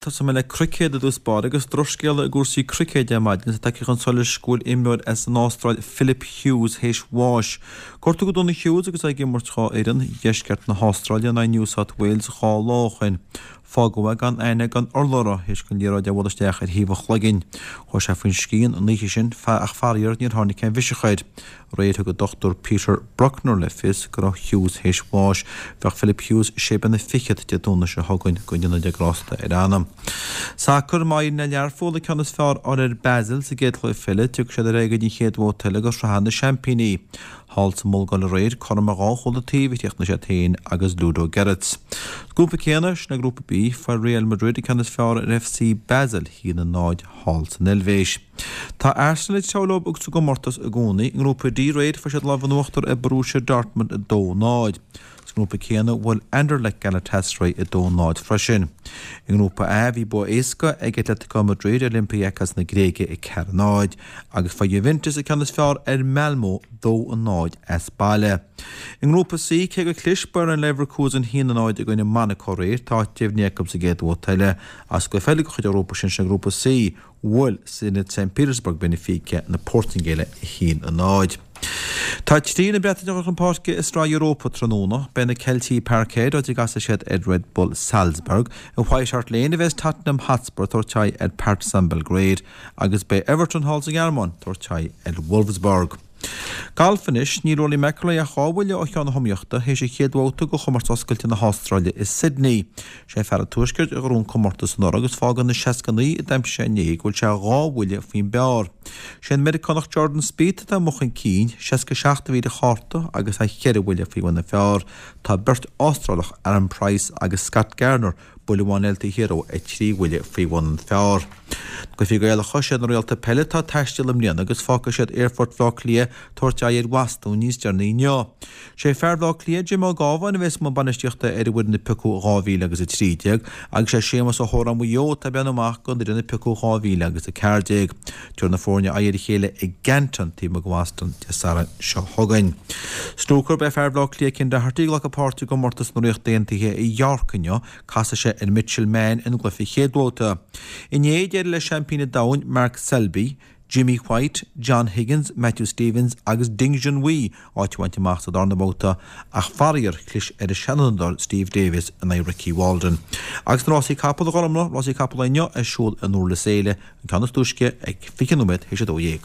Tosóidh mé le cruicéad i dtús báire agus drochscéala i gcúrsaí cruicéid ar maidin is é tagtha chun solais go bhfuil imreoir as an Astráil Philip Hughes théis bháis. Gortaíodh go dona Hughes agus é ag imirt dhá fhoireann Dheisceart na hAstráile in aghaidh New South Wales 2 lá ó shin. Fágadh é gan aithne gan urlabhra théis don liathróid a bhualadh isteach ar thaobh a chloiginn. Chuaigh sé faoin scian an oíche sin ach faraor níor tháinig aon bhiseach air. Aréir thug an Dr Peter Brukner le fios go raibh Hughes théis bháis. Bheadh Philip Hughes sé bliana fichead Dé Domhnaigh seo chugainn, go ndéana Dia grásta ar a anam. Sacar, Má éiríonn le Learpholl an ceann is fearr a fháil ar Basel sa gcéad chluiche eile, tiocfaidh siad ar aghaidh go dtí an chéad bhabhta eile de Shraith na Seaimpíní. Thall sa mBulgáir aréir, cothrom ar dhá chúl an taobh a chríochnaigh siad féin agus Ludogorets. Sa ghrúpa céanna, sin é Grúpa B, fuair Real Madrid an ceann is fearr ar FC Basel, 1-0 thall san Eilvéis. Tá Arsenal ag treabhadh leo sa gcomórtas i gcónaí. I nGrúpa D aréir, fuair siad lámh in uachtar ar Borussia Dortmund 2-0. Sa ngrúpa céanna, bhuail Anderlecht Galatasaray 2-0 freisin. I nGrúpa A, bhí bua éasca ag Atletico Madrid ar Olympiacos na Gréige 4-0 agus fuair Juventus an ceann is fearr ar Malmo 2-0 as baile. I nGrúpa C, cé gur chlis Bayer Leverkusen 1-0 i gcoinne Monaco aréir, tá áit deimhnithe acu sa gcéad bhabhta eile. Sa gcluiche eile de chuid an ghrúpa sin, sin Grúpa C, Bhuail Zenit St Petersburg Benfica na Portaingéile 1-0. Tá triúr na Breataine ag dul chun páirce i Sraith Europa tráthnóna. Beidh na Ceiltigh i Parkhead, áit a gcasfaidh siad ar Red Bull Salzburg. I White Hart Lane a bheas Tottenham Hotspur ag tabhairt aghaidh ar Partizan Belgrade agus beidh Everton thall sa nGearmáin ag tabhairt aghaidh ar Wolfsburg. Galf anois, níl Rory McIlroy ach dhá bhuille ó cheann na hiomaíochta théis an chéad bhabhta de chomórtas oscailte na hAstráile i Sydney. Sé fear an Tuaiscirt a ghnóthaigh an comórtas anuraidh agus fágann na 69 a d'aimsigh sé inné go bhfuil sé dhá bhuille faoin bpar. Sé an Meiriceánach Jordan Spieth atá amuigh chun cinn, 67 a bhí ar a chárta agus é cheithre bhuille faoi bhun an phar. Tá beirt Astrálach, Aaron Price agus Scott Gardner, Buille amháin eile taobh thiar dó 3 bhuille faoi bhun an phar. Cluichí Gaelacha, Siad na Réalta Peile atá ag taisteal i mbliana agus fágfaidh siad Aerfort Bhaile Átha Cliath tabhairt aghaidh ar Bhostún níos deireanaí inniu. Sé fear Bhaile Átha Cliath, Jim Ó Gábháin a bheas i mbun bainistíochta ar an bhfoireann a piocadh 2000 agus 13 agus sé Séamus Ó hÓráin Mhaigh Eo atá ag breathnú amach don fhoireann a piocadh 2014. Tabharfaidh na foirne aghaidh ar a chéile i gCanton taobh amuigh de Bhoston Dé Sathairn seo chugainn. Snúcar, Beidh fear Bhaile Átha Cliath Ken Doherty ag glacadh páirte i gcomórtas na Ríochta Aontaithe i York inniu. Casfaidh sé ar Mitchell Mann ina gcluiche chéad bhabhta. Inné, d'éirigh le seaimpín an domhain Mark Selby, Jimmy White, John Higgins, Matthew Stevens agus Ding Junhui áit a bhaint amach sa darna babhta ach faraor chlis ar an seanfhondúir Steve Davis in aghaidh Ricky Walden. Agus na rásaí capall a Ghormfhlaith, rásaí capall inniu ar siúl i nDurlas Éile, an ceann is túisce ag 20 nóiméad théis 12.